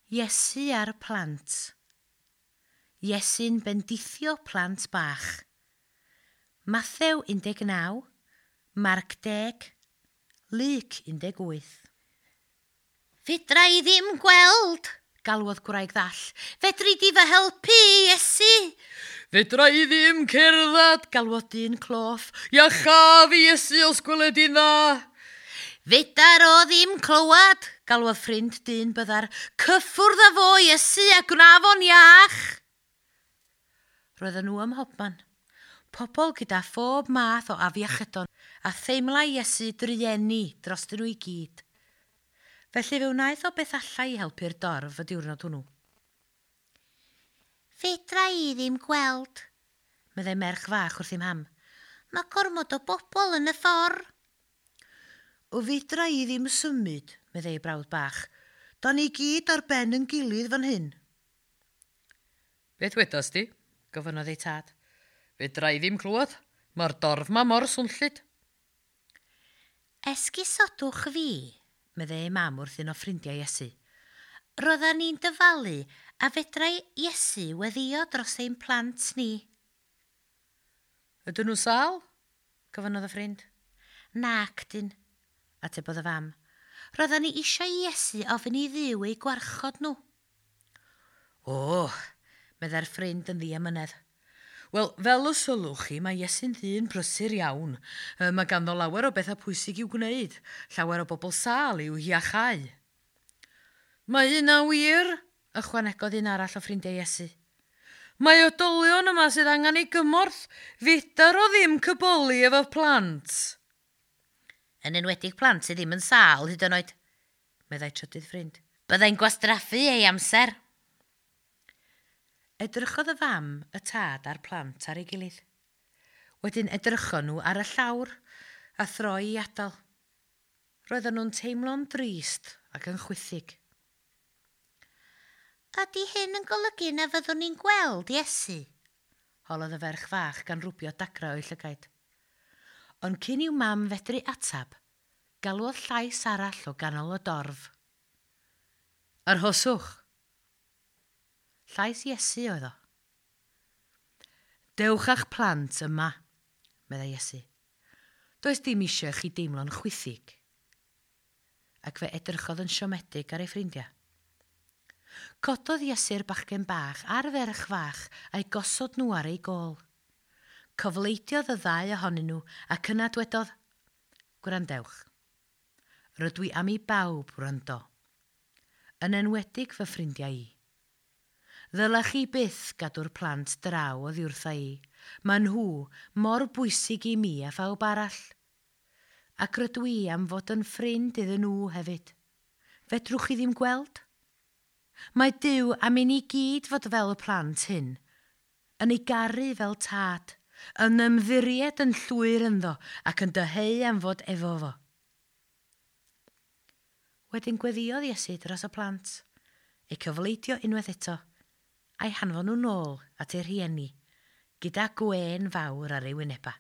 Iesu a'r plant. Iesu'n bendithio plant bach. Mathew 19, Marc 10, Luc 18. Fedra i ddim gweld, galwodd gwraig ddall. Fedri di fy helpu, Iesu? Fedra i ddim cerdded, galwodd dyn cloff. Iachaf i Iesu os gweled i'n dda. Fedar o ddim clywed, galwodd ffrind dyn byddar. Cyffwrdd â fo, Iesu, a gwna fo'n iach. Roedden nhw ym mhobman. Pobl gyda phob math o afiechydon a theimlai Iesu drueni drostyn nhw i gyd. Felly fe wnaeth o beth allai i helpu'r dorf y diwrnod hwnnw. Fedra i ddim gweld, meddai merch fach wrth ei mam. Mae gormod o bobl yn y ffordd. O fedra i ddim symud, meddai ei brawd bach. Da ni gyd ar ben yn gilydd fan hyn. Beth wedas di? Gofynnodd ei tad. Fedra i ddim clywed. Mae'r dorf ma mor swnllyd. Esgusodwch fi, meddai ei mam wrth un o ffrindiau Iesu. Roeddan ni'n dyfalu a fedrai Iesu weddïo dros ein plant ni. Ydyn nhw'n sâl? Gofynnodd y ffrind. Nac dyn, atebodd y fam. Roeddan ni eisiau i Iesu ofyn i Dduw eu gwarchod nhw. O, meddai'r ffrind yn ddiamynedd. Wel, fel y sylwch chi, mae Iesu'n ddyn prysur iawn. Mae ganddo lawer o bethau pwysig i'w gwneud, llawer o bobl sâl i'w hiachau. Mae hynna'n wir, ychwanegodd un arall o ffrindiau Iesu. Mae oedolion yma sydd angen ei gymorth. Fedar o ddim cyboli efo plant. Yn enwedig plant sydd ddim yn sâl hyd yn oed, meddai trydydd ffrind. Byddai'n gwastraffu ei amser. Edrychodd y fam, y tad a'r plant ar ei gilydd. Wedyn edrychon nhw ar y llawr a throi i adael. Roedden nhw'n teimlo'n drist ac yn chwithig. Ydy hyn yn golygu na fyddwn ni'n gweld Iesu? Holodd y ferch fach gan rwbio dagrau o'i llygaid. Ond cyn i'w mam fedru atab, galwodd llais arall o ganol y dorf. Arhoswch! Llais Iesu oedd o. Dewch â'ch plant yma, meddai Iesu. Does dim eisiau chi deimlo'n chwithig. Ac fe edrychodd yn siomedig ar ei ffrindiau. Cododd Iesu'r bachgen bach a'r ferch fach a'i gosod nhw ar ei gôl. Cofleidiodd y ddau ohonyn nhw ac yna dwedodd, Gwrandewch, rydw i am i bawb wrando, yn enwedig fy ffrindiau i. Ddylech chi byth gadw'r plant draw oddi wrtha i. Maen nhw mor bwysig i mi a phawb arall. Ac rydw i am fod yn ffrind iddyn nhw hefyd. Fedrwch chi ddim gweld? Mae Duw am i ni gyd fod fel y plant hyn, yn ei garu fel tad, yn ymddiried yn llwyr ynddo ac yn dyheu am fod efo fo. Wedyn gweddïodd Iesu dros y plant, eu cyfleidio unwaith eto, a'i hanfon nhw nôl at eu rhieni, gyda gwên fawr ar ei wynebau.